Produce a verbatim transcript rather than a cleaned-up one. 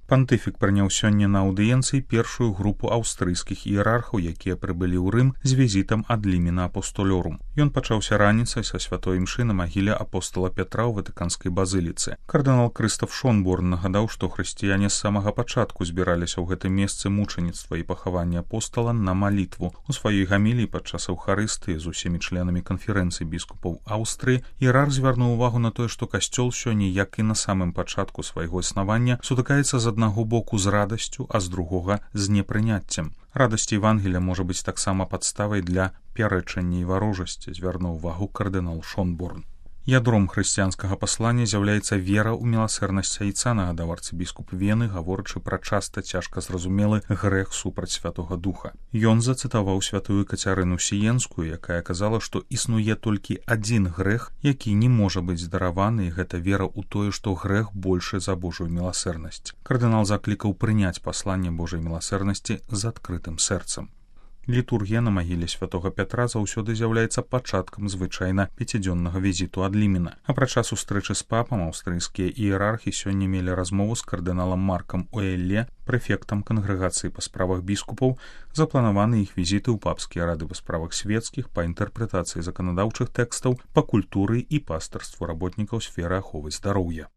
Пантыфік прыняў сёння на аўдыенцыі першую групу аўстрыйскіх іерархаў, якія прыбылі ў Рым з візітам ад лімена апостолёрум. Ён пачаўся раніцай са святой імшы на магіле апостола Пятра ў ватыканскай базыліцы. Кардынал Крыстаф Шонборн нагадаў, што хрысціяне з самага пачатку збіраліся ў гэтым месцы мучаніцтва і пахавання апостала на малітву. У сваёй гаміліі падчас эўхарыстыі з усімі членамі канферэнцыі біскупаў Аўстрыі іерарх звярнуў увагу на тое, што касцёл сёння, як і на самым пачатку свайго існавання, сутыкаецца з аднаго боку з радасцю, а з другога з непрыняццем. Радасць Евангелія можа быць таксама падставай для пярэчання і варожасці, звярнуў увагу кардынал Шонборн. Ядром хрысціянскага паслання з'яўляецца вера ў міласэрнасць Айца, нагадаў арцыбіскуп Вены, гаворачы пра часта цяжка зразумелы грэх супраць Святога Духа. Ён зацытаваў святую Кацярыну Сіенскую, якая казала, што існуе толькі адзін грэх, які не можа быць здараваны, і гэта вера ў тое, што грэх большы за Божую міласэрнасць. Кардынал заклікаў прыняць пасланне Божай міласэрнасці з адкрытым сэрцам. Літургія на магіле святога Пятра заўсёды з'яўляецца пачаткам звычайна пяцідзённага візіту ад лімена. Апрача сустрэчы з папам, аўстрыйскія іерархі сёння мелі размову з кардыналам Маркам Уэлле, прэфектам кангрэгацыі па справах біскупаў, запланаваны іх візіты ў папскія рады па справах свецкіх, па інтэрпрэтацыі заканадаўчых тэкстаў, па культуры і пастырству работнікаў сферы аховы здароўя.